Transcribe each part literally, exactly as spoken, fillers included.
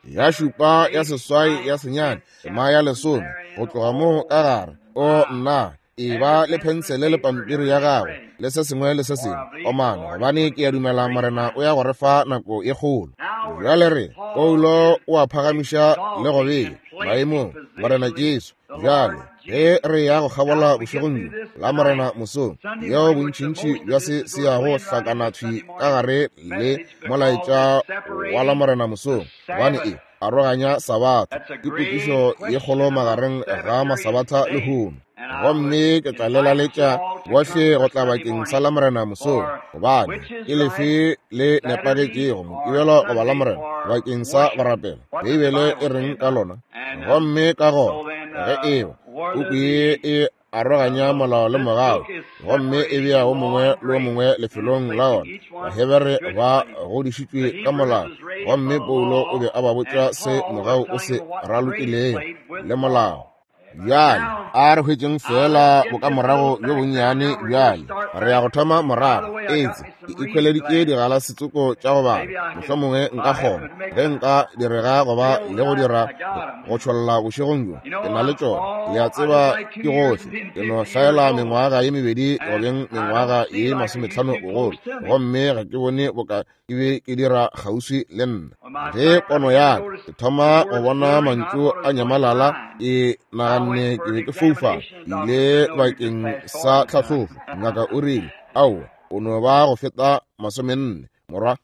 Ya šupa, ya seswai, ya senyane, tema ya lesome, go tloga mo ka gare. O nna, e ba le phensele le pampiri ya gago le se sengwe le se sengwe omana, gobane ke a dumela Morena o ya go re fa nako e kgolo. Bjale re Paulo o a phagamiša le go bea maemong Morena Jesu. Bjale ge re ya go kgabola bošegong bjo la Morena mosong, yeo bontšintši bja se se yago hlakana thwi ka gare le molaetša wa la Morena mosong, gobane e aroganya Sabatha, ke potšišo ye kgolo magareng ga masabatha le lehono. Gomme ke tla lelaletša bohle go tla bakeng sa la Morena mosong, gobane ke lefe le nepagetšego, Mokibelo goba la Morena, bakeng sa go rapela? Beibele e reng ka lona? Gomme ka gona ge eba puku ye e aroganya molao le mogau, gomme e bea o mongwe le o mongwe lefelong la ona, Bahebere ba godišitšwe ka molao, gomme Paulo o be a ba botša se mogau o se ralokilego le molao. Bjale a re hwetšeng fela bokamorago bjo bonnyane. Bjale re ya go thoma morago. Etse ke ikhweleditše digalasetsoko tša go bala, mohlomongwe nka kgona ge nka direga goba le go dira go tšholla bošegong bjo. Ke na le tšona, le a tseba, ke gohle. Ke no hlaela mengwaga ye mebedi go beng mengwaga ye masometlhano bogolo, gomme ga ke bone boka ke be ke dira kgauswi le nna. Ge pono ya ka ke thoma go bona mantšu a nyamalala, ke naganne ke be ke foufala. Ke ile bakeng sa tlhahlobo, ngaka o rile, aowa, o no ba go feta masomenne morwa.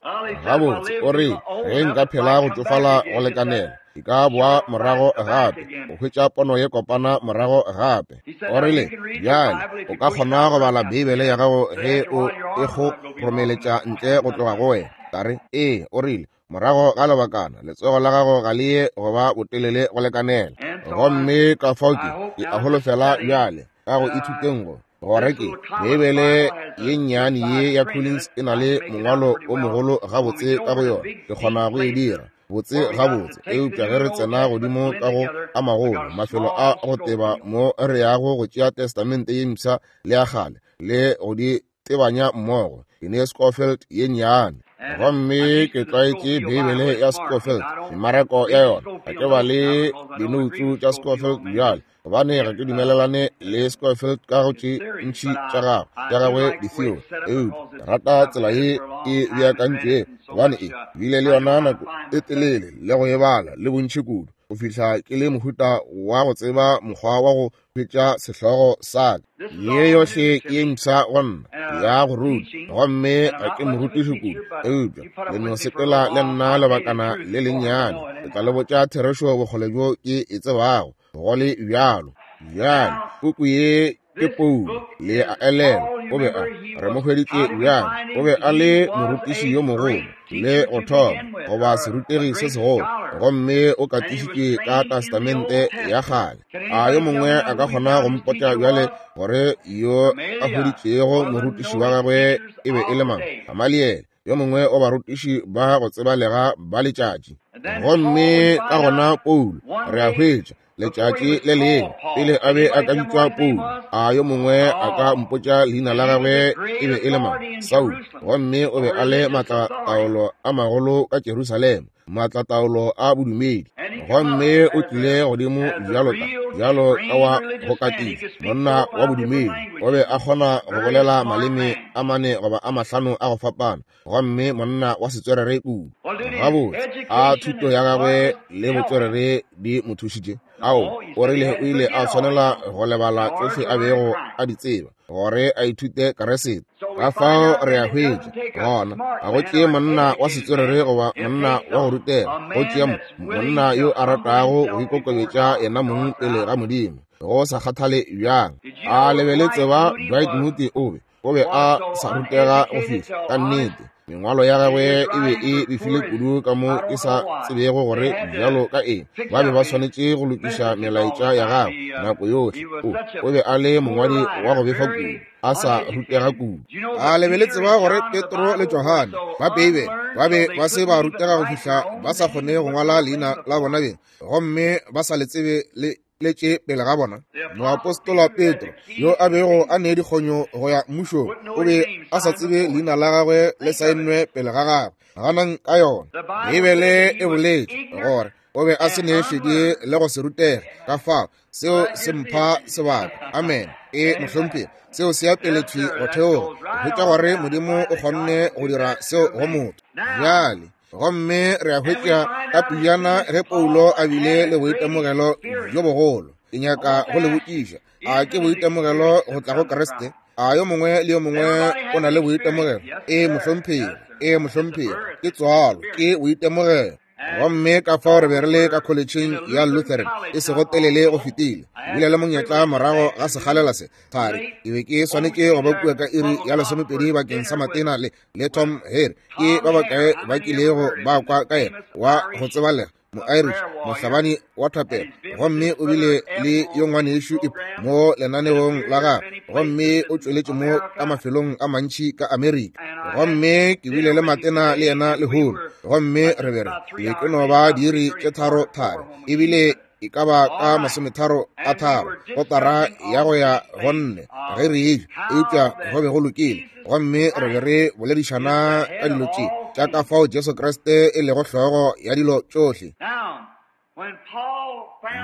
Gabotse, o re ge nka phela go tšofala go lekanela, ke ka boa morago gape go hwetša pono ye kopana morago gape. O rile, bjale o ka kgona go bala Beibele ya gago ge o e go romeletša ntle go tloga go wena. Ka re, ee. O rile, morago ga lebakana letsogo la gago ga le ye go ba botelele go lekanela. Gomme ka fao ke ke a holofela bjale ka go ithuteng go gore ke Beibele ye nnyane ye ya Collins e na le mongwalo o mogolo gabotse ka go yona, ke kgona go e dira botse gabotse. Eupša ge re tsena godimo ka go a magolo mafelo a go teba mo re yago go tšea Testamente ye mpsha le ya kgale le go di tebanya mmogo, ke ne Scofield ye nnyane. Gomme ke tlwaetše Beibele ya Scofield, memarako ya yona. Ga ke ba le dinoutsu tša Scofield bjale, gobane ga ke dumelelane le Scofield ka go tše ntši tša gagwe tša gagwe ditheo. Eupša ke rata tsela ye e beakantšwego, gobane e bile le yona nako e telele le go e bala le bontši kudu, go fihla ke le mohuta wa go tseba mokgwa wa go hwetša sehlogo sa ka. Ye yohle ke ye mpsha go nna ya go ruta, gomme ga ke morutiši kudu, eupša le no sepela le nna lebakana le lennyane, ke tla le botša therešo bokgole bjo ke e tsebago go le bjalo. Bjale puku ye ke Paulo, le a elelwa, o be a re mo hweditše bjang? O be a le morutiši yo mogolo le go thoma goba serutegi se segolo, gomme o katišitšwe ka Testamente ya kgale. A yo mongwe a ka kgona go mpotša bjale gore yo a hweditšego morutiši wa gagwe e be e le mang? Gamaliele, yo mongwe wa barutiši ba go tsebalega ba letšatši. Gomme ka gona Paulo, re a hwetša letšatši le lengwe pele a be a ka bitšwa Paulo, a yo mongwe a ka mpotša leina la gagwe e be e le mang? Saulo. Gomme o be a le maatlataolo a magolo ka Jerusalema, maatlataolo a bodumedi. Gomme o tlile godimo bjalo ka bjalo ka wa go katiša, monna wa bodumedi. O be a kgona go bolela maleme a mane goba a mahlano a go fapana, gomme monna wa setswerere kudu. Gabotse, a thuto ya gagwe le botswerere di mo thušitše? Ao, o rile o ile a swanela go lebala tšohle a bego a di tseba gore a ithute Keresete. Ka fao re a hwetša gona, ga go tšee monna wa setswerere goba monna wa go rutega, go tšea monna yo a ratago go ikokobetša yena mong pele ga Modimo, go sa kgathale bjang. A le be le tseba Dwight Moody o be o be a sa rutega go fihla ka nnete. Mengwalo ya gagwe e be e befile kudu ka mo ke sa tsebego gore bjalo ka eng ba be ba swanetše go lokiša melaetša ya gagwe nako yohle. O, o be a le mongwadi wa go befa kudu, a sa rutega kudu. A le be le tseba gore Petro le Johane ba Beibele ba be ba se ba rutega go fihla ba sa kgone go ngwala leina la bona beng, gomme ba sa le tsebe le letše pele ga bona? Moapostola Petro, yo a bego a ne dikgonyo go ya mmušong, o be a sa tsebe leina la gagwe le saennwe pele ga gagwe. Ganang ka yona. Beibele e boletše Gore o be a se ne šedi le go se rutege, ka fao seo se mpha sebaka. Amen. E mohlomphegi, seo se ya pele thwi go theoga, go hwetša gore Modimo o kgonne go dira seo go motho. Bjale gomme re a hwetša ka pejana ge Paulo a bile le boitemogelo bjo bogolo. Ke nyaka go le botšiša, a ke boitemogelo go tla go Kriste? A yo mongwe le yo mongwe o na le boitemogelo? E mohlomphegi, e mohlomphegi, ke tswalo, ke boitemogelo. Gomme ka fao re be re le ka kholetšheng ya Lutheran e sego telele go fetile. Bile le monyetla morago ga sekgalela se thari, ke be ke swanetše go ba kua ka iri ya lesomepedi bakeng sa matena le le Tom Hare. Ke ba bakae ba kilego ba kwa ka yena wa go tsebalega, mo-Irish, mohlabani wa thapelo, gomme o bile le yo ngwanešu mo lenaneong la gagwe, gomme o tšweletše mo ka mafelong a mantši ka Amerika. Gomme ke bile le matena le yena lehono, gomme re be re ke ke no ba diiri tše tharo tharo, ebile e ka ba ka masometharo a tharo, kotara ya go ya go nne ge re eja, eupša go be go lokile. Gomme re be re boledišana ka dilo tše tša ka fao Jesu Kriste e lego hlogo ya dilo tšohle.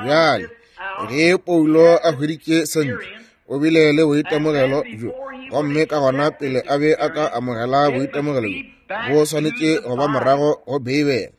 Bjale ge Paulo a hweditše sentle, o bile le boitemogelo bjo, gomme ka gona pele a be a ka amogela boitemogelo bjo, bo swanetše go ba morago go Beibele.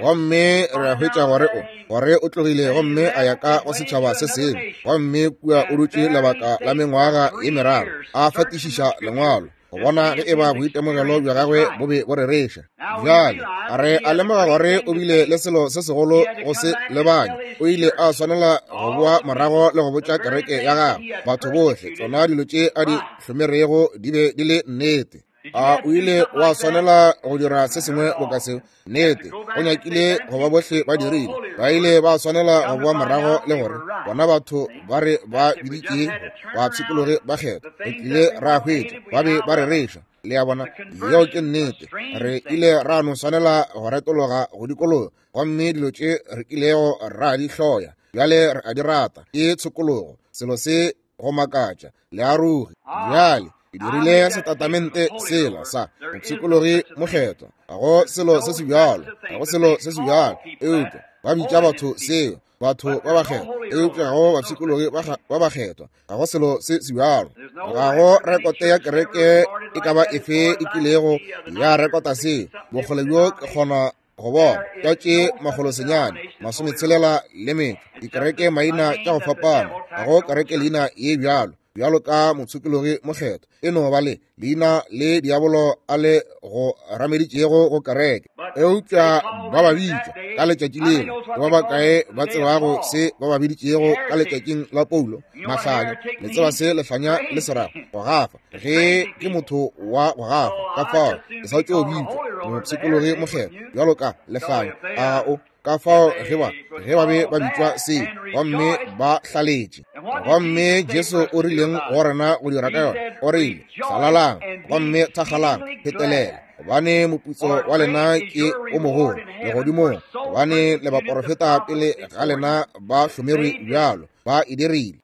Gomme re a hwetša gore o gore o tlogile gomme a ya ka go setšhaba se sengwe, gomme kua o dutše lebaka la mengwaga ye meraro a fatišiša lengwalo go bona ge e ba boitemogelo bja gagwe bo be bo rereša. Bjale re a lemoga gore o bile le selo se segolo go se lebanya. O ile a swanela go boa morago le go botša kereke ya gagwe batho bohle tsona dilo tše a di hlomerego di be di le nnete. A o ile wa swanela go dira se sengwe boka seo? Nnete, go nyakile go ba bohle ba dirile. Ba ile ba swanela go boa morago le gore bona batho ba re ba biditšego ba pshikologe ba kgetha, re tlile ra hwetša ba be ba rereša. Le a bona, yeo ke nnete. Re ile ra no swanela go retologa go dikologa, gomme dilo tše re kilego ra di hloya bjale re a di rata. Ke tshokologo, selo se go makatša le aroge. Bjale ke dirile setatamente sela sa mopshikologi mokgethwa. Ga go selo se se bjalo, ga go selo se se bjalo, eupša ba bitša batho seo, batho ba bakgethwa, eupša ga go bapshikologi ba bakgethwa, ga go selo se se bjalo. Ga go rekote ya kereke e ka ba efe e kilego ya rekota seo. Bokgole bjo ke kgona go bona ka tše makgolo senyane masometshelela le metšo dikereke maina tša go fapana, ga go kereke leina ye bjalo bjalo ka mopshikologi mokgethwa. E no ba le leina le diabolo a le go rameditšego go kereke, eupša ba ba bitša ka letšatši leo. Ke ba bakae ba tsebago se ba ba biditšego ka letšatšing la Paulo? Mahlanya. Le tseba se lehlanya le se rago? Go gafa. Ge ke motho wa go gafa, ka fao ke sa tšo bitšwa mopshikologi mokgethwa bjalo ka lehlanya. A o ka fao ge ba ge ba be ba bitšwa se, gomme ba hlaletše. Gomme Jesu o rileng go rena go dira ka yona? O rile, hlalalang gomme thakgalang phetelela, gobane moputso wa lena ke o mogolo legodimong, gobane le baporofeta pele ga lena ba hlomerwe bjalo, ba e dirile.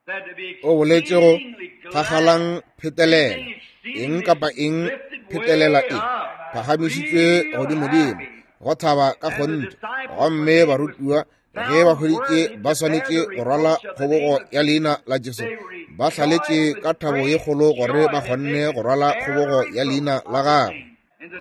O boletše go thakgalang phetelela, eng kapa eng phetelela e phagamišitšwe godimodimo, go thaba ka kgonthe. Gomme barutiwa ge ba hweditše ba swanetše go rwala kgobogo ya leina la Jesu, ba hlaletše ka thabo ye kgolo gore ba kgonne go rwala kgobogo ya leina la gagwe.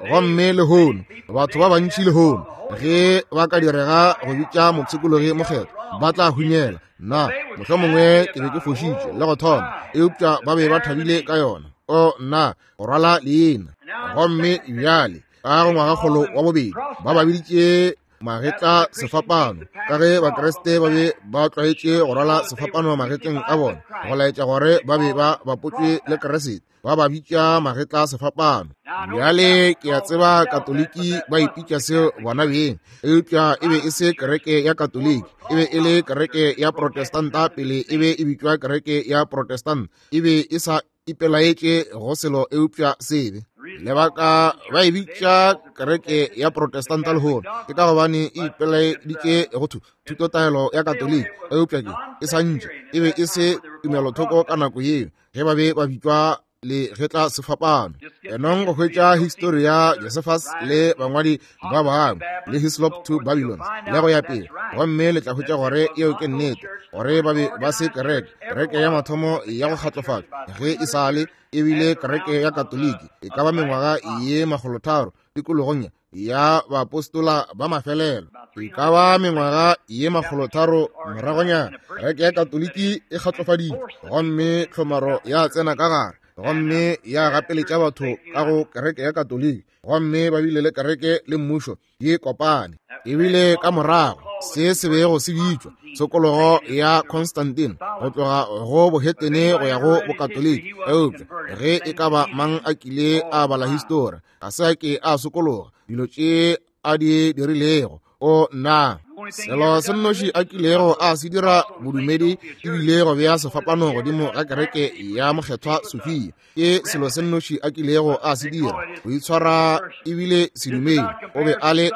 Gomme lehono batho ba bantši lehono ge ba ka direga go bitša mopshikologi mokgethwa ba tla hunyela. Nna mohlomongwe ke be ke fošitše le go thoma, eupša ba be ba thabile ka yona. O nna, go rwala leina. Gomme bjale ka go ngwagakgolo wa bobedi ba ba biditše magetla sefapano, ka ge Bakriste ba be ba tlwaetše go rwala sefapano magetleng a bona go laetša gore ba be ba bapotšwe le Kriste, ba ba bitša magetla sefapano. Bjale ke a tseba Katoliki ba ipitša seo bona beng, eupša e be e se kereke ya Katoliki, e be e le kereke ya Protestanta pele e be e bitšwa kereke ya Protestant. E be e sa ipelaetše go selo eupša sebe. Lebaka ba e bitša kereke ya Protestanta lehono ke ka gobane e ipelaeditše go thutotaelo ya Katoliki, eupša ke e sa ntše e be e se tumelothoko ka nako yeo ge ba be ba bitšwa le getla sefapano. Enong go hwetša histori ya Josephus le bangwadi ba bangwe le Hislop to Babylon le go ya pele, gomme le tla hwetša gore yeo ke nnete, gore ba be ba se kereke. Kereke ya mathomo ya go kgatlofatšwa ge e sa le ebile kereke ya Katoliki e ka ba mengwaga ye makgolotharo tikologong ya baapostola ba mafelelo, e ka ba mengwaga ye makgolotharo moragonyana kereke ya Katoliki e kgatlofaditšwe, gomme tlhomaro ya tsena ka gare gomme ya gapeletša batho ka go kereke ya Katoliki, gomme ba bile le kereke le mmušo di kopane. Ebile ka morago se se bego se bitšwa tshokologo ya Constantine, go tloga go bohetene go ya go bokatoliki. Eupša ge e ka ba mang a kile a bala histori, ga se a ke a sokologa dilo tše a di dirilego. O nna, selo se nnoši a kilego a se dira bodumedi ebile go bea sefapano godimo ga kereke ya Mokgethwa Sofia. Ke selo se nnoši a kilego a se dira, go itshwara ebile sedumedi. O be a le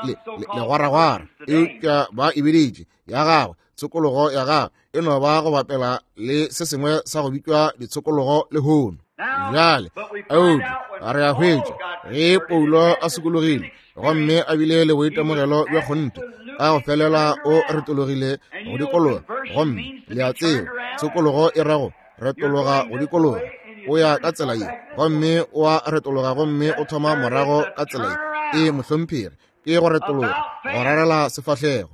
legwaragwara, eupša ba e biditše ya gagwe tshokologo ya gagwe e no ba go bapela le se sengwe sa go bitšwa ditshokologo lehono. Bjale eupša re a hwetša ge Paulo a sokologile gomme a bile le boitemogelo bja kgonthe, ka go felela o retologile go dikologa. Gomme le a tseba tshokologo e rago retologa go dikologa. O ya ka tsela ye gomme o a retologa gomme o thoma morago ka tsela ye. E mohlomphegi, ke go retologa, go rarela sefahlego.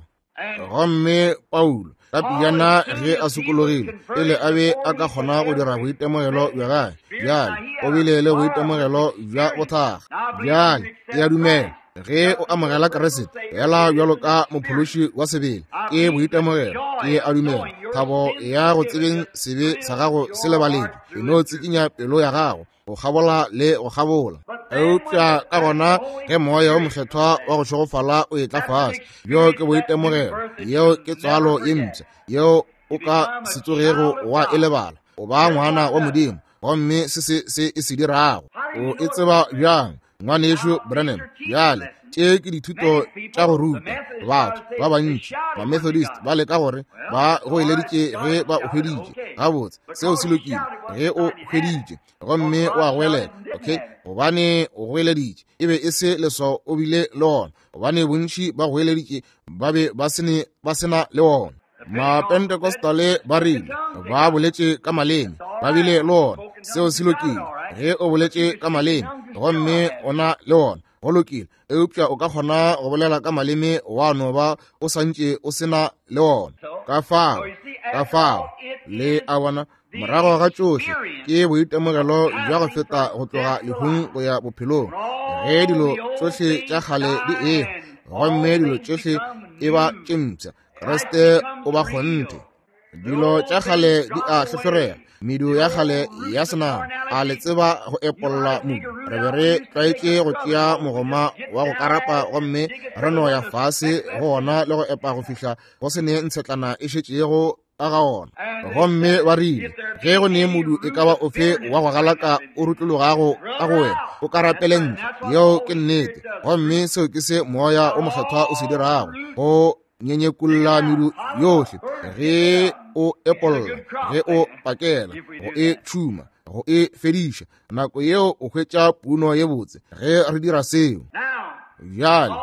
Gomme Paulo ka pejana ge a sokologile, pele a be a ka kgona go dira boitemogelo bja gagwe, bjale o bile le boitemogelo bja bothakga. Bjale ke a dumela ge o amogela Kriste fela bjalo ka mophološi wa sebele, ke boitemogelo. Ke a dumela thabo ya go tsebeng sebe sa gago se lebaletšwe, e no tsikinya pelo ya gago go kgabola le go kgabola. Eupša ka gona ge moya wo mokgethwa wa go šegofala o etla fase, bjo ke boitemogelo, yeo ke tswalo ye mpsha yeo o ka se tsogego wa e lebala. O ba ngwana wa Modimo, gomme se se se e se dirago o e tseba bjang, ngwanešu Branham? Bjale tše ke dithuto tša go ruta batho ba bantši. Ba-Methodist ba leka gore ba goeleditše ge ba o hweditše. Gabotse, seo se lokile ge o hweditše gomme o a goelela, okay, gobane o goeleditše, e be e se leswao o bile le ona, gobane bontši ba goeleditše ba be ba sene ba sena le ona. Mapentecostale ba rile ba boletše ka maleme, ba bile le ona, seo se lokile ge o boletše ka maleme gomme o na le ona, go lokile. Eupša o ka kgona go bolela ka maleme wa no ba o santše o sena le ona. Ka fao, ka fao le a bona, morago ga tšohle ke boitemogelo bja go feta go tloga lehung go ya bophelong, ge dilo tšohle tša kgale di ehwa gomme dilo tšohle e ba tše mpsha. Kriste o ba kgonthe. Dilo tša kgale di a hlohlorega, medu ya kgale ya senama. A le tseba go epolla modu? Re be re tlwaetše go tšea mogoma wa go karapa gomme re no ya fase go ona le go epa go fihla go se ne ntshetlana e šetšego ka ga ona. Gomme ba rile ge go ne modu e ka ba ofe wa go galaka o rutlologago ka go wena, o karapele ntle. Yeo ke nnete, gomme seo ke se moya o mokgethwa o se dirago, go nyenyekulla medu yohle ge o epolla, ge o pakela, go e tšhuma, go e fediša. Nako yeo o hwetša puno ye botse ge re dira seo. Bjale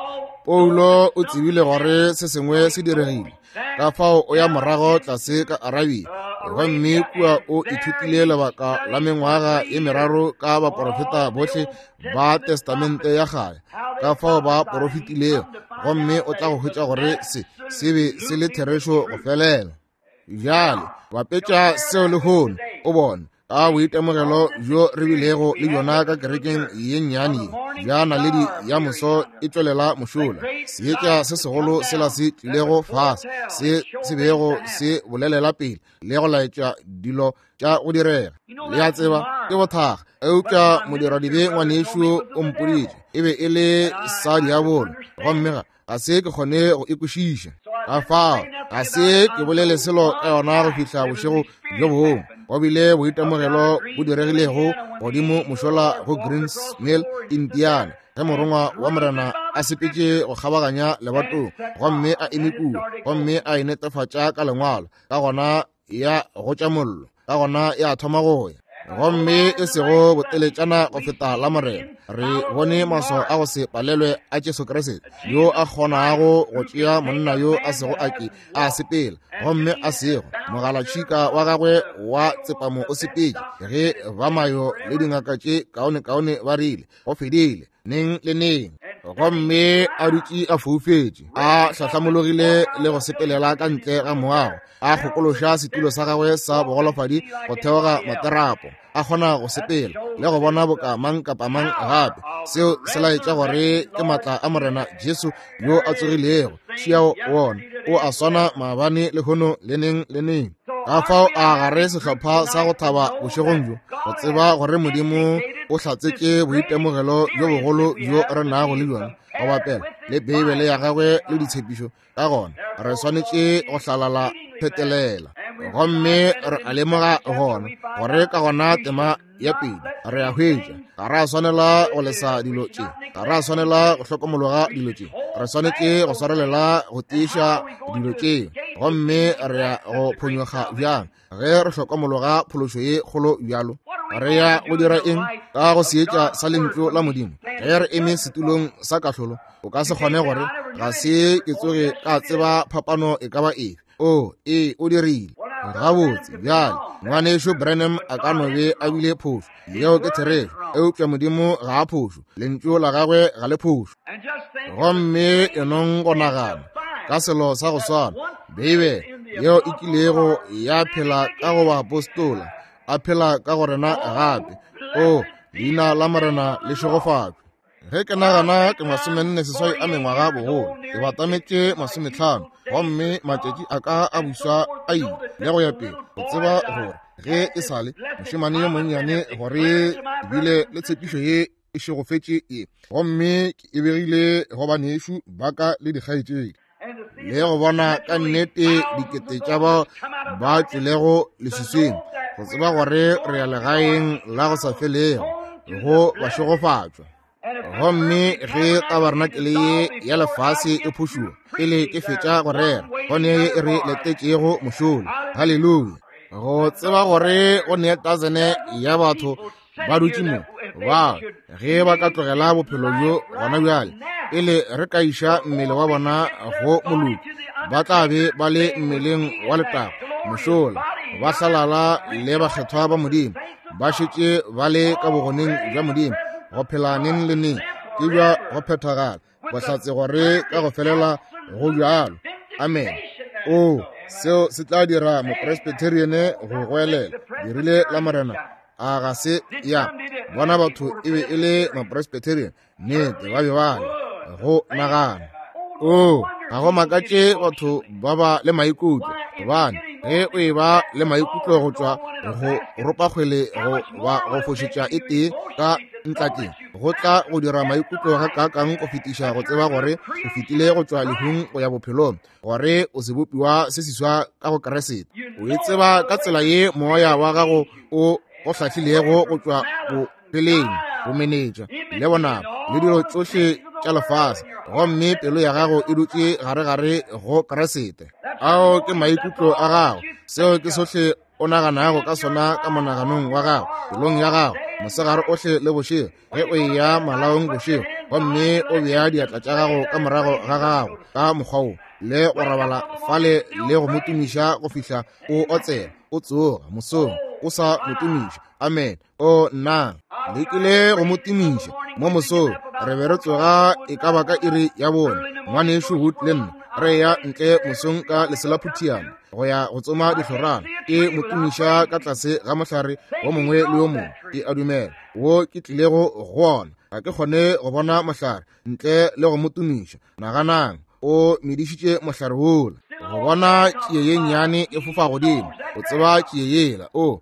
Paulo o tsebile gore se sengwe se diregile, ka fao o ya morago tlase ka Arabia, gomme kua o ithutile lebaka la mengwaga ye meraro ka baporofeta bohle ba Testamente ya kgale, ka fao ba porofetilego, gomme o tla go hwetša gore se se be se le therešo go felela. Bjale bapetša seo lehono, o bone ka boitemogelo bjo re bilego le bjona ka kerekeng ye nnyane ye bja naledi ya moso e tšwelela mošola, seetša se segolo sela se tlilego fase, se se bego se bolelela pele le go laetša dilo tša go direga. Le a tseba ke bothakga, eupša modiradibe ngwanešu o mpoditše e be e le sa diabolo, gomme ga ga se ke kgone go e kwešiša. Ka fao ga se ke bolele selo ka yona go fihla bošego bjo bongwe. Go bile boitemogelo bo diregilego godimo mošola go Greens Mill, Indiana, ge morongwa wa Morena a sepetše go kgabaganya lebatong gomme a eme kua gomme a e netefatša ka lengwalo, ka gona ya gotša mollo, ka gona ya thoma go ya. Gomme e sego boteletšana go feta la Morena, re bone maswao a go se palelwe a Jesu Kriste, yo a kgonago go tšea monna yo a sego a ke a sepela gomme a sego mogalatšhika wa gagwe wa tsepamo o sepetše, ge ba mayo le dingaka tše kaonekaone ba rile go fedile neng le neng, gomme a dutše a foufetše, a hlahlamologile le go sepelela ka ntle ga moago, a kgokološa setulo sa gagwe sa bogolofadi go theoga materapo, a kgona go sepela le go bona boka mang kapa mang gape. Seo se laetša gore ke matla a Morena Jesu yo a tsogilego. Šiao wona o a swana maabane lehono le neng le neng. Ka fao a gare sehlopha sa go thaba bošegong bjo, go tseba gore Modimo o hlatsetše boitemogelo bjo bogolo bjo re nago le bjona go bapela le Beibele ya gagwe le ditshepišo. Ka gona re swanetše go hlalala phetelela, gomme re a lemoga gona gore ka gona tema ya pedi re a hwetša ga ra swanela go lesa dilo tše, ga ra swanela go hlokomologa dilo tše, re swanetše go swarelela go tiiša dilo tše. Gomme re ya go phonyokga bjang ge re hlokomologa phološo ye kgolo bjalo? Re ya go dira eng ka go seetša sa lentšu la Modimo ge re eme setulong sa kahlolo? O ka se kgone gore ga se ke tsoge ka tseba phapano e ka ba efe. O ee, o dirile gabotse. Bjale ngwanešo Branham a ka no be a bile phošo, yeo ke therešo, eupša Modimo ga a phošo, lentšu la gagwe ga le phošo. Gomme enong go nagana ka selo sa go swana, Beibele yeo e kilego ya phela ka go baapostola, a phela ka go rena gape. O leina la Morena le šegofatšwe. Ge ke nagana ke masomenne seswai a mengwaga bogolo, ke batametše masometlhano, gomme matšatši a ka a buswa a ile le go ya pele, go tseba gore ge e sale mošemane yo monnyane gore ebile le tshepišo ye e šegofetše ye, gomme ke e begile go banešu ba ka le dikgaetšedi, le go bona ka nnete dikete tša bao ba tšwelego leswiswing, go tseba gore re ya legaeng la go sa felego go bašegofatšwa. Gomme ge tabarenakele ye ya lefase e phušuwa pele ke fetša go rera, go ne ye e re letetšego mošola. Haleluya! Go tseba gore go ne tasene ya batho ba dutše mo, ba ge ba ka tlogela bophelo bjo gona bjale, pele re ka iša mmele wa bona go moloki, ba tla be ba le mmeleng wa letago mošola, ba hlalala le bakgethwa ba Modimo, ba šetše ba le ka bogoneng bja Modimo go phela neng le neng. Ke bja go phethagala bohlatse gore ka go felela go bjalo. Amen. O seo se tla dira mopresbyterian go goelela dirile la Morena a ga se ya bona batho e be e le mapresbyterian, nnete ba be ba le go nagana. O ga go makatše batho ba ba le maikutlo, gobane ge o e ba le maikutlo go tšwa go ropa kgwele go ba go fošetša e tee ka ntlakeng, go tla go dira maikutlo ga kaakang go fetiša go tseba gore o fetile go tšwa lehung go ya bophelong, gore o sebopiwa se seswa ka go Kriste. O e tseba ka tsela ye moya wa gago o go hlahlilego go tšwa bopheleng, bomenetša le bonaba le dilo tšohle tša lefase, gomme pelo ya gago e dutše gare-gare go Kriste. Ao ke maikutlo a gago, seo ke sohle o naganago ka sona ka monaganong wa gago, pelong ya gago, mosegare ohle le bošego, ge o eya malaong bošego, gomme o bea diatla tša gago ka morago ga gago ka mokgwa wo, le go robala fale le go mo tumiša go fihla o otsela, o tsoga mosong o sa mo tumiša. Amen. O nna lekile go mo tumiša mo mosong, re be re tsoga e ka ba ka iri ya bone, ngwanešu Wood le nna re ya ntle mosong ka leselaphutiana go ya go tsoma dihlorana, ke mo tumiša ka tlase ga mohlare wo mongwe le yo mongwe ke a dumela wo ke tlilego go ona. Ga ke kgone go bona mohlare ntle le go mo tumiša. Naganang, o medišitše mohlare wola. Go bona tšie ye nnyane e fofa godimo, o tseba tšie yela, o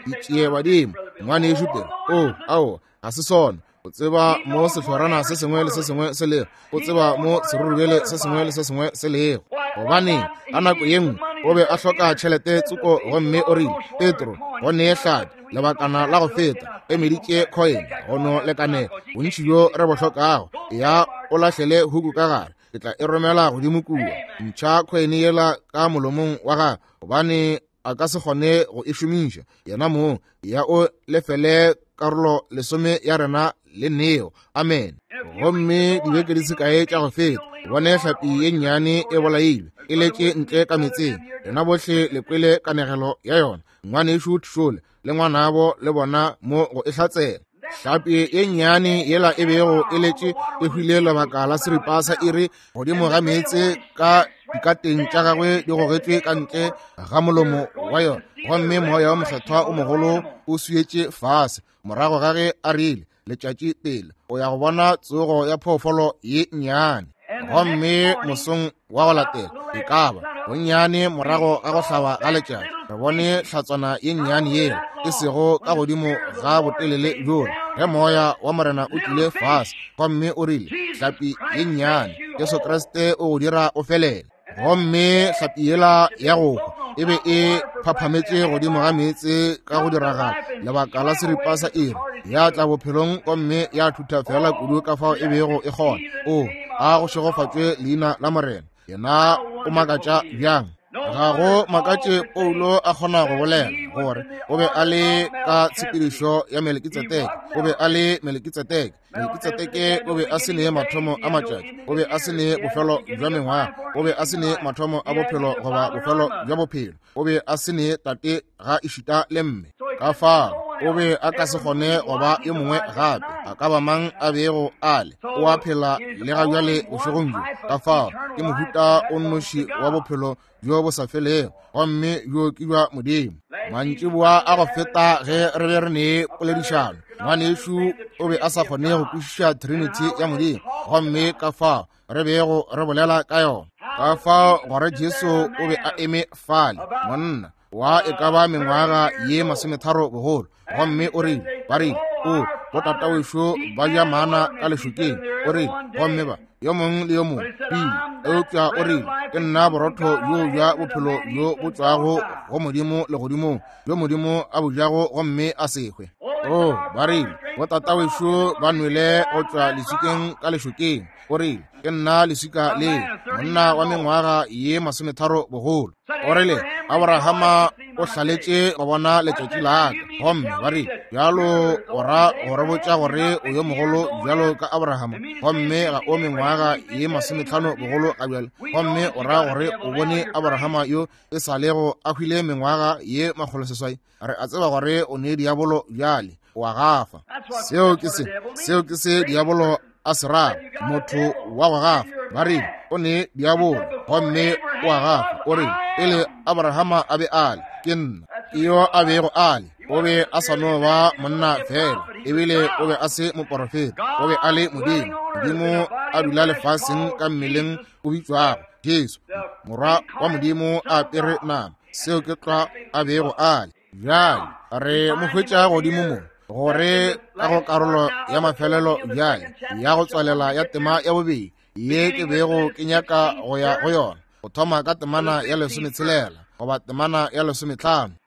ditšie badimo ngwanešu pele, o ao ga se sona. O tseba mo sehlorana se sengwe le se sengwe se lego, o tseba mo serurubele se sengwe le se sengwe se lego. Gobane ka nako ye nngwe o be a hloka tšhelete tsoko, gomme o rile, Petro, go nee hlapi lebakana la go feta, e meditše coin go no lekanela bontši bjo re bo hlokago, ya o lahlele huku ka gare, ke tla e romela godimo kua. Ntšha coin yela ka molomong wa gagwe, gobane a ka se kgone go e šomiša yena mong. Ya o lefele karolo lesome ya rena le neo. Amen. Gomme dibeke di se kae tša go feta, bone hlapi ye nnyane e bolailwe e letše ntle ka metseng. Rena bohle le kwele kanegelo ya yona. Ngwanešu Tšhole le ngwanabo le bona mo go e hlatsela. Hlapi ye nnyane yela e bego e letše e hwile lebaka la seripa sa iri godimo ga meetse ka dikateng tša gagwe di gogetšwe ka ntle ga molomo wa yona, gomme moya wa mokgethwa o mogolo o swietše fase morago ga ge a rile letšatši pele o ya go bona tsogo ya phoofolo ye nnyane. Gomme mosong wa go latela e ka ba bonnyane morago ga go hlaba ga letšatši, re bone hlatswana ye nnyane yela e sego ka godimo ga botelele bjola ge moya wa morena o tlile fase gomme o rile, hlapi ye nnyane, Jesu Kriste o go dira o felele. Gomme hlapi yela ya go hwa e be e phaphametše godimo ga meetse ka go diragala lebaka la seripa sa iri, ya tla bophelong gomme ya thutha fela kudu ka fao e bego e kgona. O a go šegofatšwe leina la morena. Yena o makatša bjang. Ga go makatše Paulo a kgona go bolela gore o be a le ka tshepedišo ya Melkitsedeke. O be a le Melkitsedeke. Melkitsedeke o be a se ne mathomo a matšatši, o be a se ne bofelo bja mengwaga, o be a se ne mathomo a bophelo goba bofelo bja bophelo, o be a se ne tate ga ešita le mme. Ka fao o be a ka se kgone go ba yo mongwe gape, a ka ba mang a bego a le, o a phela le ga bjale bošegong bjo. Ka fao ke mohuta o nnoši wa bophelo bjo bo sa felego, gomme bjo ke bja Modimo. Mantšiboa a go feta ge re be re ne poledišano, ngwanešu o be a sa kgone go kwešiša Trinity ya Modimo, gomme ka fao re bego re bolela ka yona. Ka fao gore Jesu o be a eme fale, monna wa e ka ba mengwaga ye masometharo bogolo, gomme o rile, ba rile, o botatawešo ba ja mana ka lešokeng, o rile, gomme ba yo mongwe le yo mongwe pile, eupša o rile, ke nna borotho bjo bja bophelo bjo bo tšwago go Modimo legodimong, bjo Modimo a bo jago gomme a se hwe. O ba rile, botatawešo ba nwele go tšwa leswikeng ka lešokeng, o rile, ke nna leswika le, monna wa mengwaga ye masometharo bogolo. O rile, Abrahama o hlaletše go bona letšatši la ka, gomme ba rile, bjalo o ra go re botša gore o yo mogolo bjalo ka Abrahama, gomme ga o mengwaga ye masometlhano bogolo ga bjale, gomme o ra gore o bone Abrahama yo e sa lego a hwile mengwaga ye makgolo seswai. Re a tseba gore o ne diabolo bjale, o a gafa. Seo ke se, seo ke se diabolo a se rago, motho wa go gafa. Ba rile, o ne diabolo gomme o a gafa. O rile, pele Abrahama a be a le, ke nna yo a bego a le. O be a sa no ba monna fela, ebile o be a se moporofeta, o be a le Modimo. Modimo a dula lefaseng ka mmeleng o bitšwago Jesu, morwa wa Modimo a apere nama. Seo ke tlwa a bego a le. Bjale re mo hwetša godimo mo gore ka go karolo ya mafelelo bjale ya go tswalela ya tema ya bobedi ye ke bego ke nyaka go ya go yona, go thoma ka temana ya lesometshelela goba temana ya lesometlhano.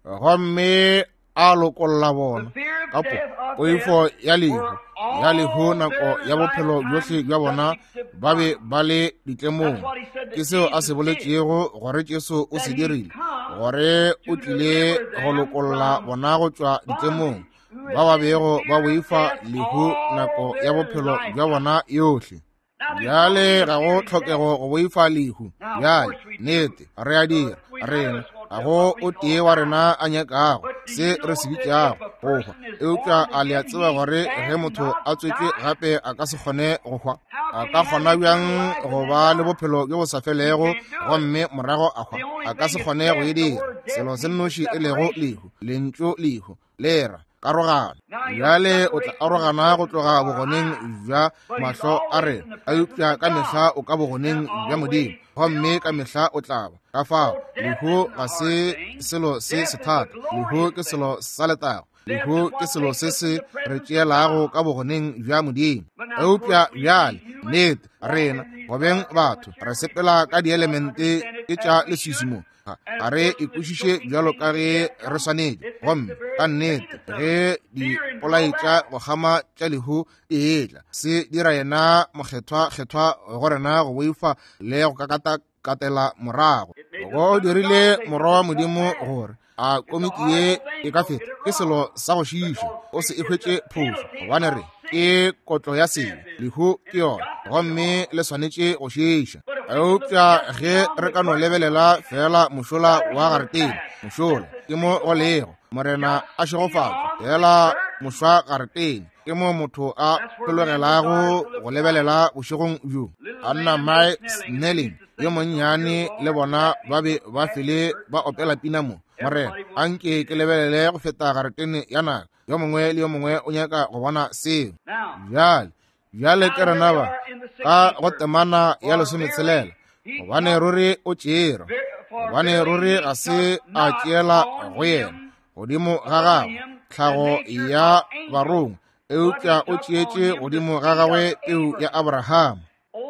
Gomme a lokolla bona ka poifo ya lehu, ya lehu nako ya bophelo bjohle bja bona ba be ba le ditlemong. Ke seo a se boletšego gore Jesu o se dirile, gore o tlile go lokolla bona go tšwa ditlemong, ba ba bego ba boifa lehu nako ya bophelo bja bona yohle. Bjale ga go tlhokego go boifa lehu. Bjale nnete re a dira, rena ga go o tee wa rena a nyakago se re se bitšago go hwa, eupša a le a tseba gore ge motho a tswetšwe gape a ka se kgone go hwa? A ka kgona bjang go ba le bophelo bjo bo sa felego gomme morago a hwa? A ka se kgone go e dira. Selo se nnoši e lego lehu, lentšu lehu le ra karogano. Bjale o tla arogana go tloga bogoneng bja mahlo a rena, eupša ka mehla o ka bogoneng bja Modimo, gomme ka mehla o tla ba. Ka fao lehu ga se selo se sethata, lehu ke selo sa letago, lehu ke selo se se re tšeelago ka bogoneng bja Modimo. Eupša bjale nnete rena go beng batho re sepela ka dielemente ke tša leswiswi mo, ga re ikwešiše bjalo ka ge re swanetše, gomme ka nnete ge dipolai tša go kgama tša lehu di etla, se dira yena mokgethwa-kgethwa go rena go boifa le go kakata katela morago. Go dirile morwa wa Modimo gore a komiki ye e ka feta ke selo sa go šiiša, o se e hwetše phošo, gobane re ke kotlo ya sebe, lehu ke yona, gomme le swanetše go šiiša. Eupša ge re ka no lebelela fela mošola wa garetene, mošola ke mo go lego Morena a šegofatšwe, fela mošwa garetene ke mo motho a hlologelago go lebelela bošegong bjo. Anna Mae Snelling yo monnyane le bona ba be ba fele ba opela pina mo, Morena anke ke lebelele go feta garetene ya naga. Yo mongwe le yo mongwe o nyaka go bona seo. Bjale bjale ke rena ba ka go temana ya lesometshelela, gobane ruri o tšere, gobane ruri ga se a tšeela go yena godimo ga gagwe tlhago ya barongwa, eupša o tšeetše godimo ga gagwe peu ya Abraham.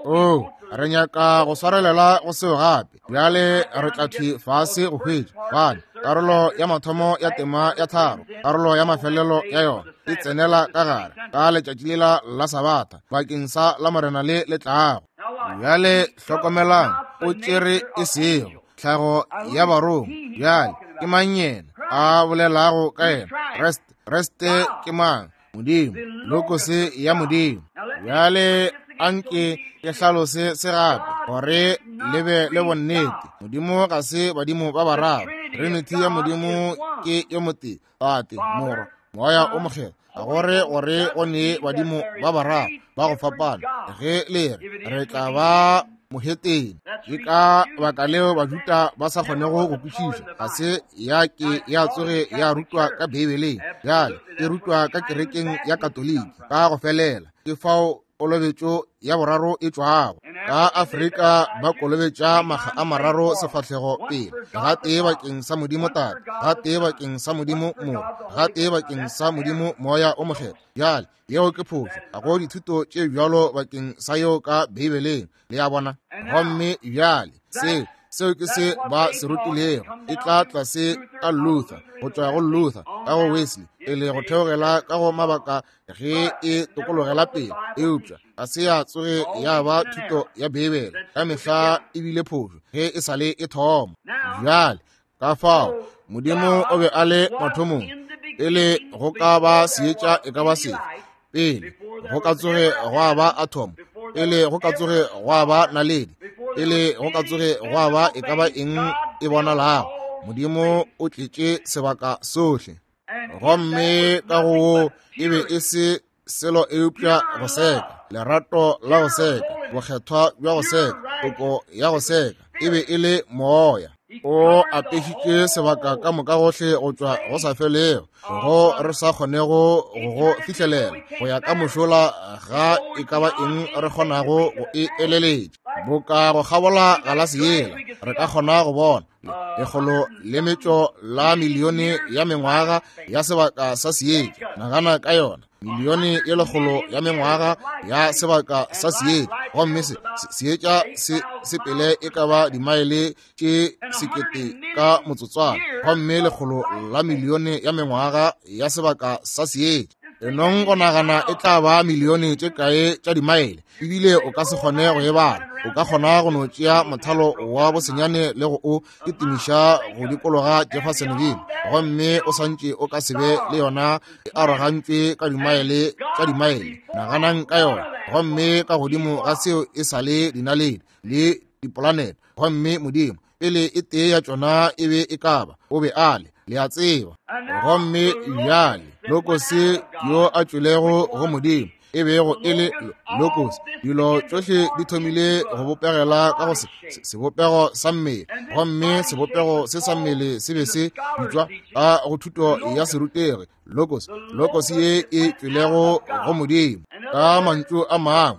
Oh, re nyaka go swarelela go seo gape. Bjale re tla thwi fase go hwetša, gobane karolo ya mathomo ya tema ya tharo, karolo ya mafelelo ya yona e tsenela ka gare ka letšatši lela la Sabatha bakeng sa la Morena le le tlago. Bjale hlokomelang, o tšere e sego tlhago ya barongwa. Bjale ke mang yena a bolelago ka yena? Kreste. Kreste ke mang? Modimo, lokose ya Modimo. Bjale anke ke hlalose se gape gore le be le bonnete. Modimo ga se badimo ba bararo. Trinity ya Modimo ke yo motee, Tate, Morwa, Moya o Mokgethwa. Gore gore go ne badimo ba bararo ba go fapana, ge le re re tla ba mohetene. Ke ka baka leo Bajuda ba sa kgonego go kwešiša. Ga se ya ke ya tsoge ya rutwa ka Beibeleng, bjale e rutwa ka kerekeng ya Katoliki ka go felela. Ke fao kolobetšo ya boraro e tšwago. Ka Afrika ba kolobetša makga a mararo sefahlego pele, gatee bakeng sa Modimo Tate, gatee bakeng sa Modimo Morwa, gatee bakeng sa Modimo Moya o Mokgethwa. Bjale yeo ke phošo, ga go dithuto tše bjalo bakeng sa yeo ka Beibeleng, le a bona. Gomme bjale seo seo ke se ba se rutilego, e tla tlase ka Luther, go tšwa go Luther ka go Wesley, pele go theogela ka go mabaka ge e tokologela pele. Eupša ga se ya tsoge ya ba thuto ya Beibele, ka mehla e bile phošo ge e sa le e thoma. Bjale ka fao Modimo o be a le mathomong, pele go ka ba seetša e ka ba sefe, pele go ka tsoge gwa ba atom, pele go ka tsoge gwa ba naledi, pele go ka tsoge gwa ba e ka ba eng e bonalago, Modimo o tletše sebaka sohle. Gomme ka go wo e be e se selo eupša go seka, lerato la go seka, bokgethwa bja go seka, toko ya go seka, e be e le moya. O apešitše sebaka ka moka gohle go tšwa go sa felego, go re sa kgonego go go fihlelela, go ya ka mošola ga e ka ba eng re kgonago go e eleletša. Boka go kgabola galase yela, re ka kgona go bona lekgolo le metšo la milione ya mengwaga ya sebaka sa seetša. Nagana ka yona, milione ye lekgolo ya mengwaga ya sebaka sa seetša, gomme se seetša se sepele e ka ba dimaele tše sekete ka motsotswana, gomme lekgolo la milione ya mengwaga ya sebaka sa seetša. Enong go nagana e tla ba milione tše kae tša dimaele, ebile o ka se kgone go e bala. O ka kgona go no tšea mothalo wa bosenyane le go o kitimiša go dikologa Jeffersonville, gomme o santše o ka se be le yona e arogantšwe ka dimaele tša dimaele. Naganang ka yona. Gomme ka godimo ga seo e sa le dinaledi le dipolanete, gomme Modimo pele e tee ya tšona e be e ka ba o be a le, le a tseba. Gomme bjale lokose yo a tšwelego go Modimo e bego e le lokose, dilo tšohle di thomile go bopegela ka go sebopego sa mmele, gomme sebopego se sa mmele se be se bitšwa ka go thuto ya serutegi logos, logos ye e tšwelego go Modimo. Ka mantšu a mangwe,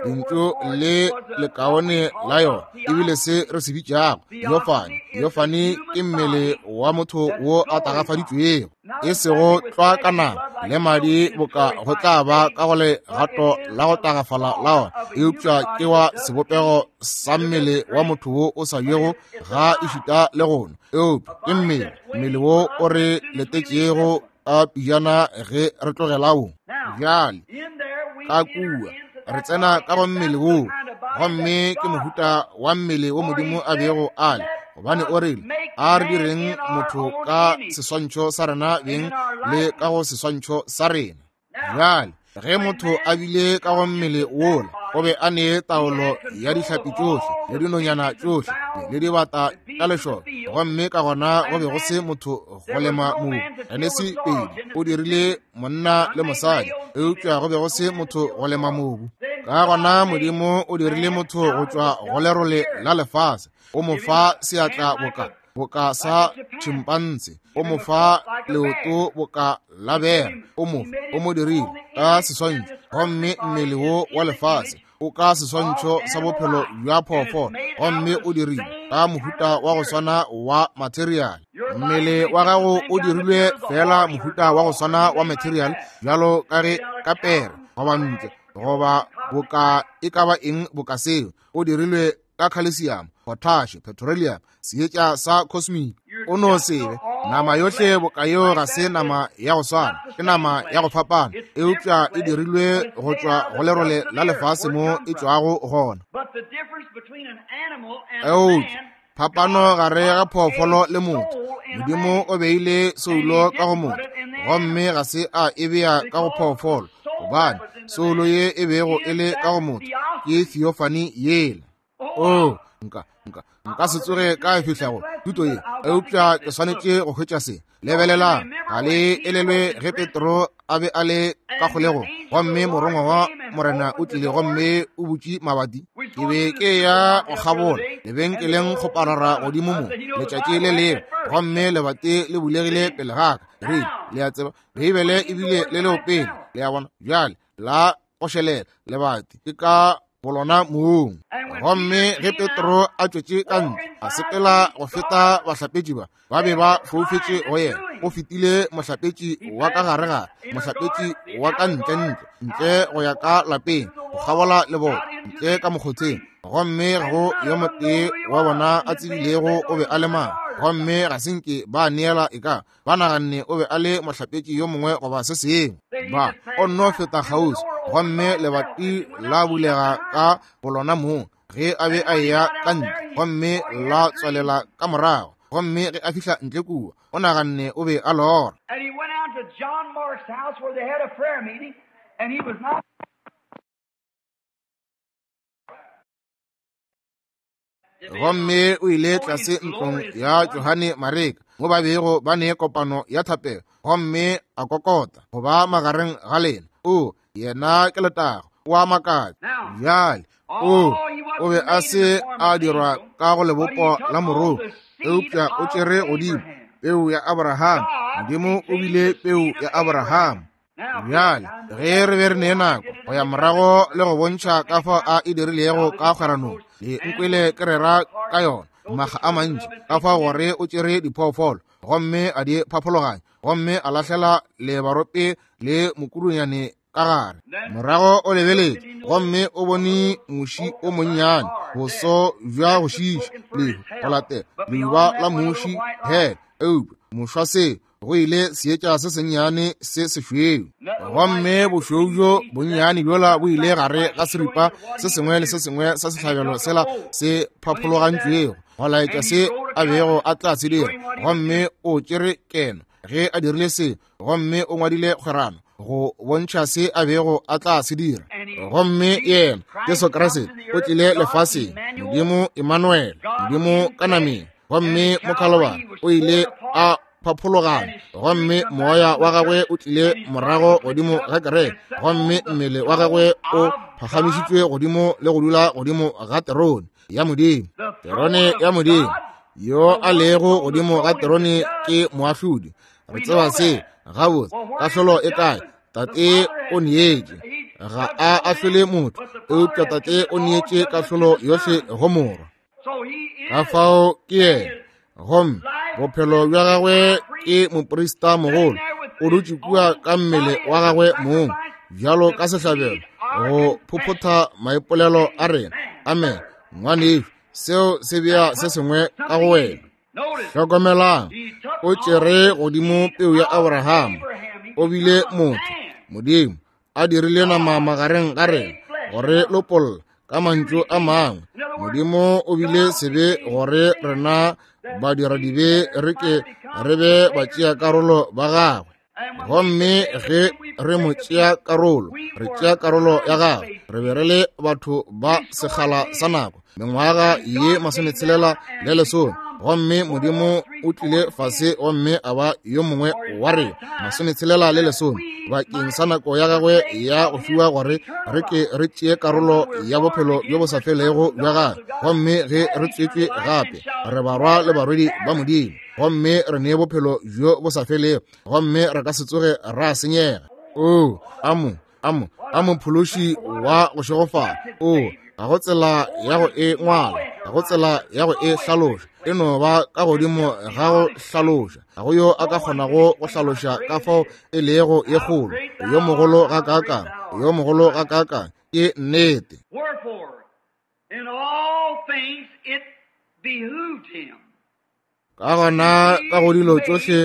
lentšu le lekaone la yona ebile se re se bitšago yofane. Yofane ke mmele wa motho wo a tagafaditšwego, e sego tlwa ka nama le madi boka go tla ba ka go legato la go tagafala la ona, eupša ke wa sebopego sa mmele wa motho wo o sa jego ga ešita le gono, eupša ke mmele, mmele wo o re letetšego ka pijana ge re tlogela wo. Bjale ka kua re tsena ka go mmele wo, gomme ke mohuta wa mmele wo Modimo a bego a le, Gobane o rile, a re direng motho ka seswantšho sa rena beng le ka go seswantšho sa rena. Bjale, ge motho a bile ka go mmele wola, o be a ne taolo ya dihlapi tšohle le dinonyana tšohle le dibata ka lešoka, gomme ka gona go be go se motho go lema mobu. Genesi pedi, o dirile monna le mosadi, eupša go be go se motho go lema mobu. Ka gona Modimo o dirile motho go tšwa go lerole la lefase, o mo fa seatla boka boka sa tšhimpanse, o mo fa leoto boka la bera, o mo o mo dirile ka seswantšho, gomme mmele wo wa lefase o ka seswantšho sa bophelo bja phoofolo, gomme o dirile ka mohuta wa go swana wa material. Mmele wa gago o dirilwe fela mohuta wa go swana wa material, bjalo ka ge ka pere goba ntle goba boka e ka ba eng boka seo, o dirilwe ka calcium, potash, petroleum, seetša sa cosmic. O no sebe nama yohle boka yeo ga se nama ya go swana, ke nama ya go fapana, eupša e dirilwe go tšwa go lerole la lefase mo e tšwago gona. Eupša phapano gare ga phoofolo le motho, Modimo o beile soulo ka go motho, gomme ga se a e bea ka go phoofolo, gobane soulo ye e bego e le ka go motho ke theophany yela. Oh, nka nka nka se tsoge ka e fihla go thuto ye, eupša ke swanetše go hwetša se. Lebelelang, ga le elelwe ge Petro a be a le ka kgolegong, gomme morongwa wa Morena o tlile gomme o butše mabati. Ke be ke ya go kgabola lebenkeleng go parara godimo mo letšatši le lengwe, gomme lebati le bulegile pele ga ka. Re le a tseba Beibele ebile le leo pele, le a bona bjale la gošelela lebati ke ka bolona mong. Gomme ge Petro a tšwetše ka ntle, a sepela go feta bahlapetši ba, ba be ba foufetše go yena. O fetile mohlapetši wa ka gare-gare, mohlapetši wa ka ntle-ntle, ntle go ya ka lapeng, go kgabola leboto, ntle ka mokgotheng. Gomme go yo motee wa bona a tsebilego o be a le mang, gomme ga se nke ba neela e ka ba naganne o be a le mohlapetši yo mongwe goba se sengwe. Ba o nno feta kgauswi, gomme lebati la bulega ka bolona mong ge a be a eya ka ntle, gomme la tswalela ka morago. Gomme ge a fihla ntle kua, o naganne o be a lora. And he went out to John Mark's house where they had a prayer meeting, and he was not. Gomme o ile tlase ntlong ya Johane Mareka mo ba bego ba ne kopano ya thapelo, gomme a kokota go ba magareng ga lena. O yena ke letago, o a makatša. Bjale o o be a se a dirwa ka go lebopo la moroko, eupša o tšere godimo peu ya Abraham. Modimo o bile peu ya Abraham. Bjale ge re be re ne nako go ya morago le go bontšha ka fao a e dirilego ka kgweranong, le nkwele ke rera ka yona maga a mantši, ka fao gore o tšere diphoofolo gomme a di phaphologanya, gomme a lahlela lebarope le mokurunyane ka gare. Morago o lebeletše, gomme o bone muši o monnyane, boso bja go šiša, lehu go latela leuba la muši, he eupša mošwa se go ile seetša se sennyane se sešweu. Gomme bošweu bjo bonnyane bjola bo ile gare ga seripa se sengwe le se sengwe sa sehlabelo sela se phaphologantšwego go laetša se a bego a tla se dira. Gomme o tšere keno ge a dirile se, gomme o ngwadile kgwerano go bontšha se a bego a tla se dira. Gomme yena Jesu Kriste o tlile lefaseng, Modimo Emmanuel, Modimo ka nameng, gomme mo Kalvari o ile a phaphologana, gomme moya wa gagwe o tlile morago godimo ga kereke, gomme mmele wa gagwe o phagamišitšwe godimo le go dula godimo ga terone ya Modimo. Terone ya Modimo, yo a lego godimo ga terone ke moahlodi. Re tseba se gabotse. Kahlolo e kae? Tate o neetše, ga a ahlole motho, eupša Tate o neetše kahlolo yohle go Morwa. Ka fao ke yena, gomme bophelo bja gagwe ke moprista mogolo, o dutše kua ka mmele wa gagwe mong bjalo ka sehlabelo go phophotha maipolelo a rena. Amen. Ngwanešu, seo se bea se sengwe ka go wena. Hlokomelang, o tšere godimo peu ya Abraham, o bile motho, Modimo a dirile nama magareng ga rena gore lopolla. Ka mantšu a mangwe, Modimo o bile sebe gore rena badiradibe re ke re be batšeakarolo ba gagwe. Gomme ge re mo tšea karolo, re tšea karolo ya gagwe, re be re le batho ba sekgala sa nako, mengwaga ye masometshelela le lesome. Gomme Modimo o tlile fase gomme a ba yo mongwe wa rena, masometshelela le lesome, bakeng sa nako ya gagwe ya go fiwa gore re ke re tšee karolo ya bophelo bjo bo sa felego bja gagwe. Gomme ge re tswetšwe gape, re barwa le barwedi ba Modimo, gomme re nee bophelo bjo bo sa felego, gomme re ka se tsoge ra senyega. O amo amo amo phološi wa go šegofala. O ga go tsela ya go e ngwala, ga go tsela ya go e hlaloša, e no ba ka godimo ga go hlaloša. Ga go yo a ka kgonago go hlaloša ka fao e lego ye kgolo, yo mogolo ga kaakang, yo mogolo ga kaakang. Ke nnete. Ka gona ka go dilo tšohle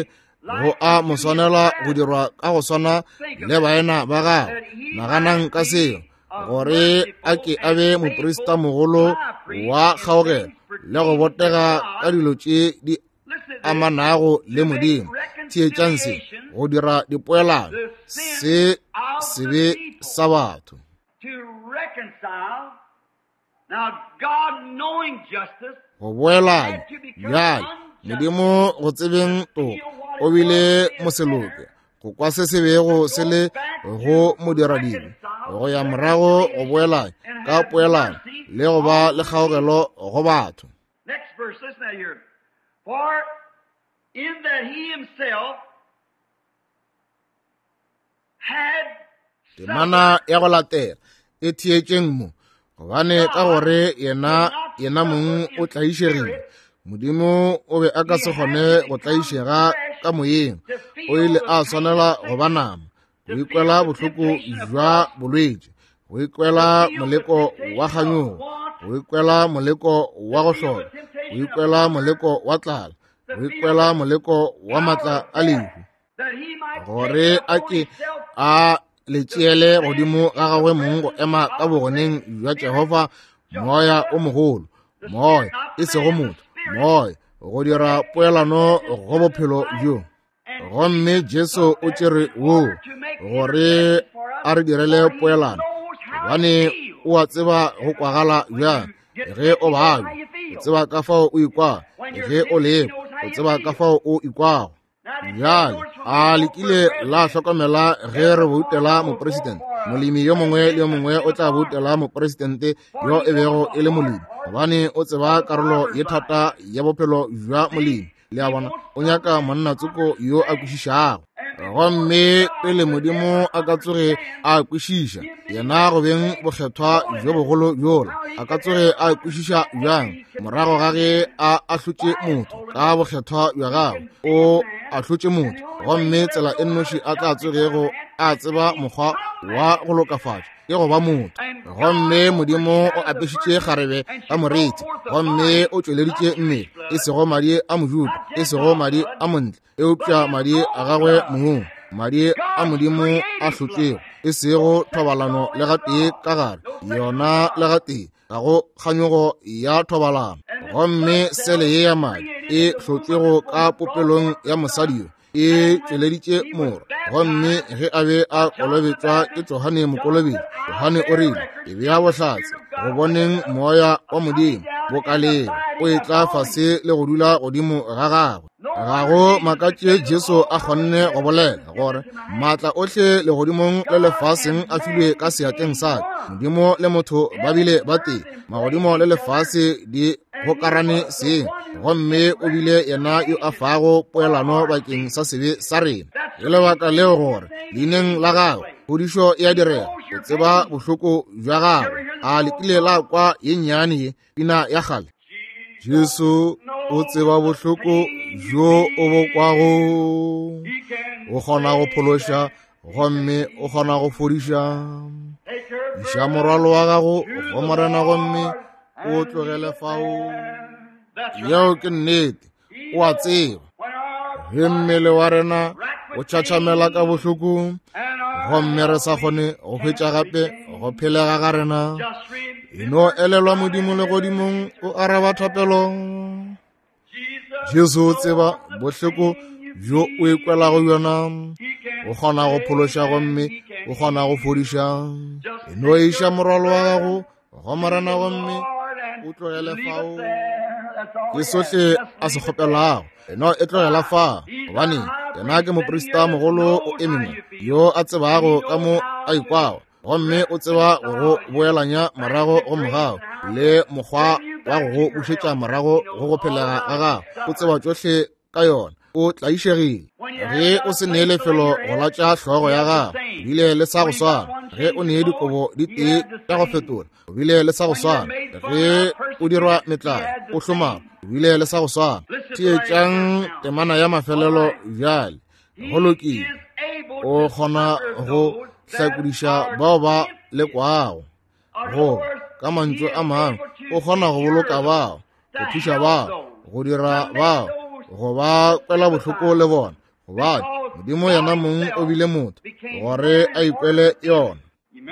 go a mo swanela go dirwa ka go swana le baena ba gagwe. Naganang ka seo, gore a ke a be moprista mogolo wa kgaogelo le go botega ka dilo tše di amanago le Modimo. Theetšang se, go dira dipoelano, se sebe sa batho. Go boelanya. Bjale Modimo go tsebeng toka o bile moseloke go kwa se se bego se le go modiradibe, go ya morago go boelanya ka poelano le go ba le kgaogelo go batho. Temana ya go latela e theetšeng mo, gobane ka gore yena yena mong o tlaišegile. Modimo o be a ka se kgone go tlaišega ka moyeng, o ile a swanela go ba nama, go ikwela bohloko bja bolwetši, go ikwela moleko wa kganyogo, go ikwela moleko wa go hloka, go ikwela moleko wa tlala, go ikwela moleko wa matla a lehu, gore a ke a le tšeele godimo ga gagwe mong go ema ka bogoneng bja Jehofa, moya o mogolo, moya e sego motho, moya, go dira poelano go bophelo bjo. Gomme Jesu o tšere woo gore a re direle poelano, gobane o a tseba go kwagala bjang ge o babja, o tseba ka fao o ikwago ge o lekwa, o tseba ka fao o ikwago. Bjale a le kile la hlokomela ge re boutela mopresidente, molemi yo mongwe le yo mongwe o tla boutela mopresidente yo e bego e le molemi, gobane o tseba karolo ye thata ya bophelo bja molemi. Le a bona, o nyaka monna tsoko yo a kwešišago. Gomme pele Modimo a ka tsoge a kwešiša yena go beng bokgethwa bjo bogolo bjola, a ka tsoge a kwešiša bjang morago ga ge a ahlotše motho ka bokgethwa bja gagwe? O ahlotše motho, gomme tsela e nnoši a tla tsogego a tseba mokgwa wa go lokafatša ke go ba motho. Gomme Modimo o apešitše kgarebe ka moriti, gomme o tšweleditše mmele, e sego madi a Mojuda, e sego madi a montle, eupša madi a gagwe mong, madi a Modimo a hlotšwego, e sego thobalano le gatee ka gare yona le gatee, ga go kganyogo ya thobalano. Gomme sele ye ya madi e hlotšwego ka popelong ya mosadi yo e tšweleditše morwa. Gomme ge a be a kolobetšwa ke Johane Mokolobetši, Johane o rile, e bea bohlatse go boneng moya wa Modimo bokaleng o etla fase le go dula godimo ga gagwe. Ga go makatše Jesu a kgonne go bolela gore maatla ohle legodimong le lefaseng a filwe ka seatleng sa ka. Modimo le motho ba bile ba tee, magodimo le lefase di gokarane seng, gomme o bile yena yo a fago poelano bakeng sa sebe sa rena. Ke lebaka leo gore leineng la gagwe phodišo e a direga. O tseba bohloko bja gagwe. A le kile la kwa ye nnyane ye pina ya kgale? Jesu o tseba bohloko bjo o bo kwago, o kgona go phološa gomme o kgona go fodiša. Iša morwalo wa gago go Morena gomme o tlogele fao. Yeo ke nnete, o a tseba. Ge mmele wa rena o tšhatšhamela ka bohloko gomme re sa kgone go hwetša gape go phelega ga rena, e no elelwa Modimo legodimong o araba thapelo. Jesu o tseba bohloko bjo o ikwelago bjona. O kgona go phološa gomme o kgona go fodiša. E no iša morwalo wa gago go Morena gomme o tlogele fao. Ke sohle a se kgopelago. E no e tlogela fa, gobane yena ke moprista mogolo o eme mo, yo a tsebago ka mo a ikwago, gomme o tseba go go boelanya morago go mogau le mokgwa wa go go bušetša morago go go phelega ga gago. O tseba tšohle ka yona. O tlaišegile. Ge o se nee lefelo go latša hlogo ya gago, o bile le sa go swana. Ge o nee dikobo di tee tša go fetola, o bile le sa go swana. Ge o dirwa metlae, o hlomama, o bile le sa go swana. Theetšang temana ya mafelelo bjale. Go lokile. O kgona go hlakodiša bao ba lekwago. Go ka mantšu a mangwe, o kgona go boloka bao, go thuša bao, go dira bao, go ba kwela bohloko le bona, gobane Modimo yena mong o bile motho gore a ikwele yona.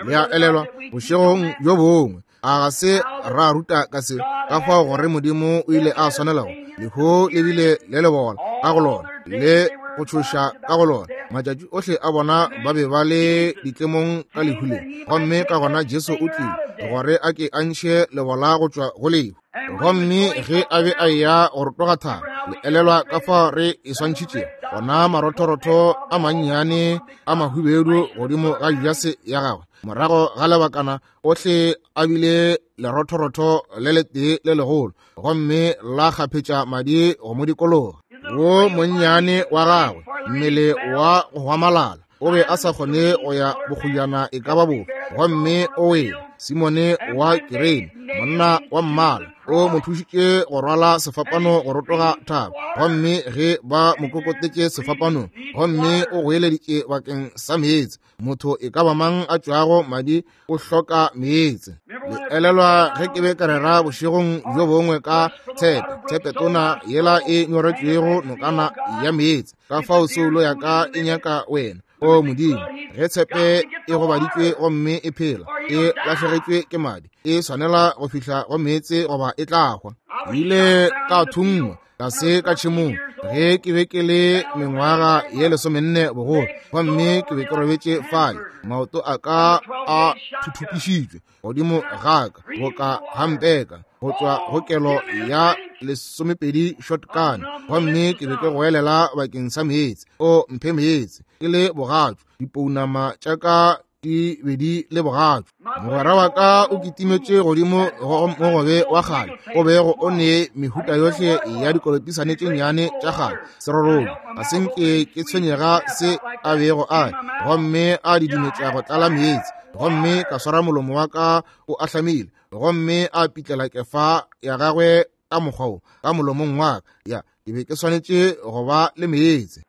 Le a elelwa bošegong bjo bongwe, a ga se ra ruta ka se, ka fao gore Modimo o ile a swanelago lehu le bile le lebola ka go lona le go tšhoša ka go lona. Matšatši ohle a bona ba be ba le ditlemong ka lehu le, gomme ka gona Jesu o tlile gore a ke a ntšhe lebola go tšwa go lehu. Gomme ge a be a eya go rotoga thaba, le elelwa ka fao re e swantšhitšego, gona marothorotho a mannyane a mahubedu godimo ga jase ya gagwe. Morago ga lebakana ohle a bile lerothorotho le letee le legolo, gomme la kgaphetša madi go mo dikologa. Wo monnyane wa gagwe, mmele wa go hwamalala, o be a sa kgone go ya bokgojana e ka ba bofe, gomme o wele. Simone wa Kirene, monna wa mmala, o mo thušitše go rwala sefapano go rotoga thaba, gomme ge ba mo kokotetše sefapanong, gomme o goeleditše bakeng sa meetse. Motho e ka ba mang a tšwago madi o hloka meetse. Le elelwa ge ke be ka rera bošegong bjo bongwe ka tshepe, tshepetona yela e nyoretšwego nokana ya meetse, ka fao soulo ya ka e nyaka wena, o Modimo. Ge tshepe e gobaditšwe gomme e phela, e lahlegetšwe ke madi, e swanela go fihla go meetse goba e tla hwa. Ile ka thungwa tlase ka tšhemong ge ke be ke le mengwaga ye lesomenne bogolo, gomme ke be ke robetše fale, maoto a ka a thuthupišitšwe godimo ga ka boka hampeka go tšwa go kelo ya lesomepedi shotgun, gomme ke be ke goelela bakeng sa meetse. O mphe meetse. Ke le bogatšo, dipounama tša ka di be di le bogatšo. Mogwera wa ka o kitimetše godimo go mogobe wa kgale o bego o ne mehuta yohle ya dikolopisane tše nnyane tša kgale serorolo. Ga se nke ke tshwenyega se a bego a, gomme a didimetša go tlala meetse, gomme ka swara molomo wa ka o ahlamile, gomme a pitlela kefa ya gagwe ka mokgwa wo ka molomong wa ka. Ya, ke be ke swanetše go ba le meetse.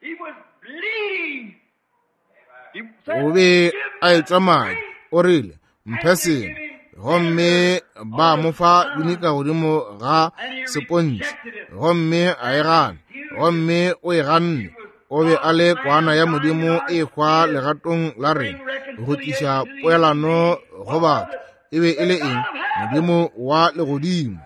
O be a etšwa madi. O rile, mphe sengwe. Gomme ba mo fa binika godimo ga sepontšhe, gomme a e gana, gomme o e ganne. O be a le kwana ya Modimo e hwa legatong la rena go tliša poelano go batho. E be e le eng? Modimo wa legodimo.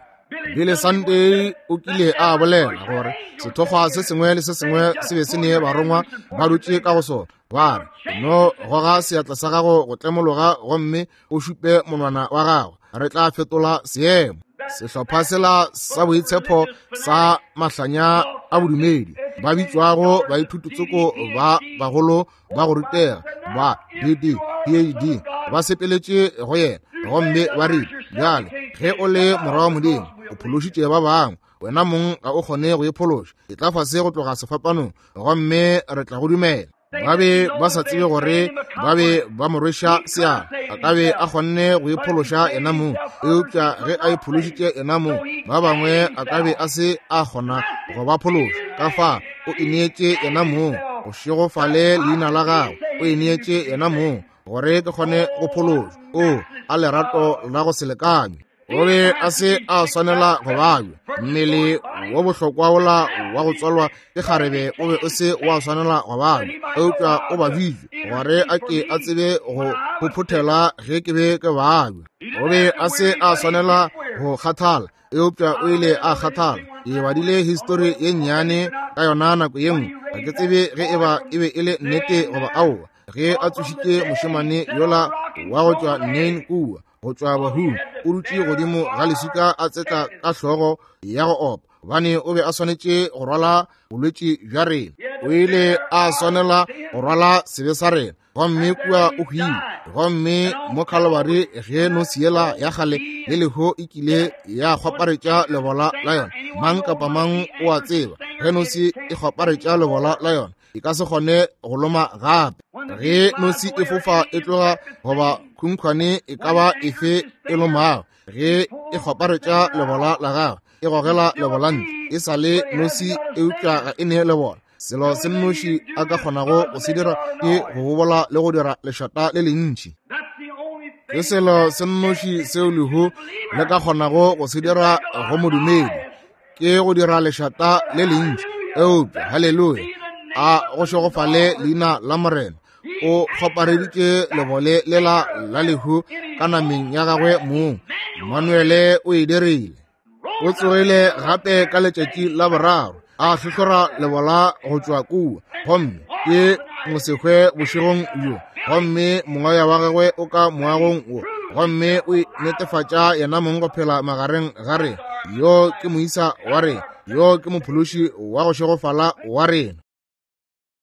Billy Sunday o kile a bolela gore sethokgwa se sengwe le se sengwe se be se ne barongwa ba dutše ka go sona. Ba re, no goga seatla sa gago go tlemologa gomme o šupe monwana wa gago, re tla fetola seemo. Sehlopha sela sa boitshepo sa mahlanya a bodumedi ba bitšwago baithutotsoko ba bagolo ba go rutega ba D D P H D ba sepeletše go yena, gomme ba rile, bjale ge o le morwa wa Modimo, o phološitše ba bangwe, wena mong ga o kgone go iphološa. E tla fase go tloga sefapanong, gomme re tla go dumela. Ba be ba sa tsebe gore ba be ba mo rweša seala. A ka be a kgonne go iphološa yena mong, eupša ge a iphološitše yena mong, ba bangwe a ka be a se a kgona go ba phološa. Ka fa o ineetše yena mong, go šegofale leina la gagwe. O ineetše yena mong gore ke kgone go phološwa. O a lerato la go se lekanywe. O be a se a swanela go babja. Mmele wo bohlokwa wola wa go tswalwa ke kgarebe o be o se wa swanela go babja, eupša o babjitšwe gore a ke a tsebe go phophothela ge ke be ke babja. O be a se a swanela go kgathala, eupša o ile a kgathala. Ke badile histori ye nnyane ka yona nako ye nngwe. Ga ke tsebe ge e ba e be e le nnete goba aowa. Ge a tsošitše mošemane yola wa go tšwa Nain kua, go tšwa bahung, o dutše godimo ga leswika a tsetla ka hlogo ya go opa, gobane o be a swanetše go rwala bolwetši bja rena. O ile a swanela go rwala sebe sa rena, gomme kua o hwile. Gomme mo Calvary, ge nosi yela ya kgale le leho e kile ya kgwaparetša lebola la yona, mang kapa mang o a tseba, ge nosi e kgwaparetša lebola la yona, e ka se kgone go loma gape. Ge nosi e fofa e tloga goba khunkhwane e ka ba efe e lomago, ge e kgwaparetša lebola la gagwe, e gogela lebola ntle. E sa le nosi, eupša ga e ne lebola. Selo se nnoši a ka kgonago go se dira ke go bobola le go dira lešata le lentši. Ke selo se nnoši seo lehu le ka kgonago go se dira go modumedi, ke go dira lešata le lentši. Eupša haleluya, a go šegofale leina la Morena. O kgwapareditše lebole lela la lehu ka nameng ya gagwe mong. Manuele o e dirile. O tsogile gape ka letšatši la boraro, a hlohlora lebola go tšwa kua, gomme ke mosehwe bošegong bjo. Gomme moya wa gagwe o ka moagong wo, gomme o netefatša yena mong go phela magareng ga rena. Yo ke moisa wa rena, yo ke mophološi wa go šegofala wa rena.